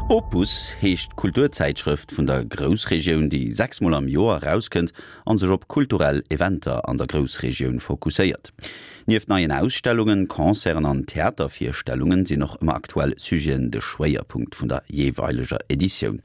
Opus heescht d'Kulturzäitschrëft vun der Groussregioun, déi 6 mol am Joer erauskënnt an sech op kulturell Eventer an der Groussregioun fokusséiert. Nieft neien Ausstellungen, Concerten an Theatervirstellungen sinn och ëmmer aktuell Sujeten de Schwéierpunkt vun der jeeweileger Editioun.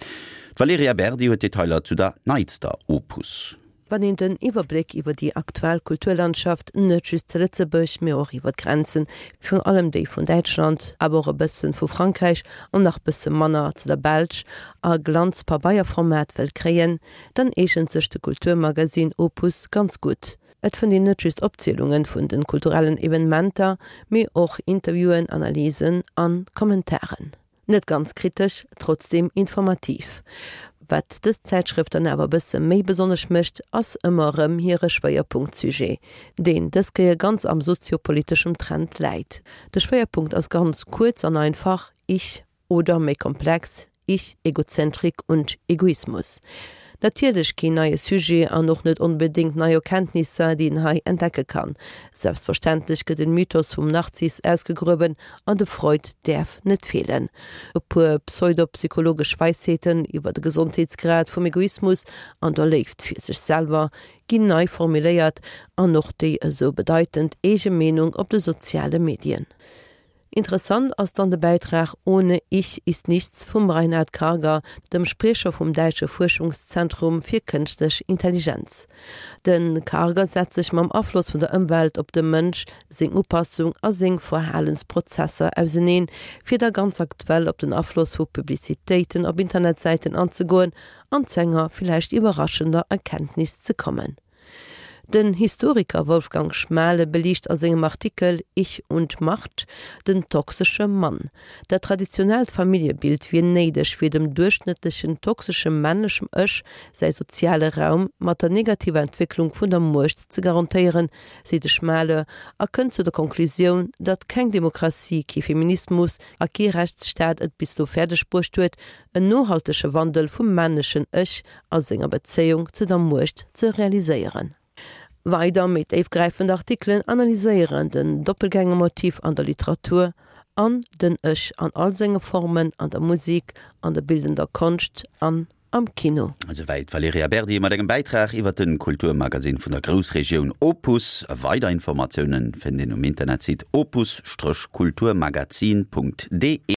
D'Valerija Berdi huet Detailer zu der neitster Opus. Wann een den Iwwerbléck iwwer déi aktuell Kulturlandschaft, net just zu Lëtzebuerg, mee och iwwer d'Grenzen, virun allem déi vun Däitschland, awer och e bëssen vu Frankräich an nach bësse manner zu der Belsch, a Glanzpabeierformat wëllt kréien, dann eegent sech de Kulturmagazin Opus ganz gutt. Et fënnt een net just Opzielunge vun de kulturellen Evenementer, mee och Interviewen, Analysen an Kommentaren. Net ganz kritesch, trotzdeem informativ. Wat dës Zäitschrëft dann awer e bësse méi besonnesch mécht, ass ëmmer erëm hire Schwéierpunkt-Sujet, deen dës Kéier ganz am soziopoliteschem Trend läit. De Schwéierpunkt ass ganz kuerz an einfach, Ich oder méi komplex, Ich, Egozentrik und Egoismus. Natierlech keen neie Sujet an och net onbedéngt nei Erkenntnisser, déi een hei entdecke kann. Selbstverständlech gëtt den Mythos vum Narziss ausgegruewen an de Freud däerf net feelen. E puer pseudopsychologesch Weisheeten iwwer de Gesondheetsgrad vum Egoismus an der Léift fir sech selwer ginn nei formuléiert an och déi esou bedeitend eege Meenung op de soziale Medien. Interessant ass dann de Bäitrag Ohne Ich ist nichts vum Reinhard Karger, dem Spriecher vum däitsche Fuerschungszentrum fir kënschtlech Intelligenz. De Karger setzt sech mam Afloss vun der Ëmwelt op de Mënsch, seng Upassung a seng Verhalensprozesser auseneen, fir da ganz aktuell op den Afloss vu Publicitéiten op Internetsäiten anzegoen an zu enger villäicht iwwerraschender Erkenntnis ze kommen. Den Historiker Wolfgang Schmale beliicht a sengem Artikel Ich und Macht den toxesche Mann. Dat traditionellt Familljebild wier néideg fir dem duerchschnëttlechen toxesche männlechem Ech säi soziale Raum mat der negativer Entwécklung vun der Muecht ze garantéieren, seet de Schmale a kënnt zu der Konklusioun, datt keng Demokratie, kee Feminismus a kee Rechtsstaat et bis elo fäerdeg bruecht huet, en nohaltege Wandel vum männlechen Ech a senger Bezéiung zu der Muecht ze realiséieren. Weider méi déifgräifend Artikelen analyséieren den Doppelgängermotiv an der Literatur an den Ech an all senge Formen an der Musik, an der bildender Konscht an am Kino. Esouwäit d'Valerija Berdi mat engem Bäitrag iwwer de Kulturmagasinn vun der Groussregioun Opus. Weider Informatioune fënnt een um Internetsite opus-kulturmagazin.de.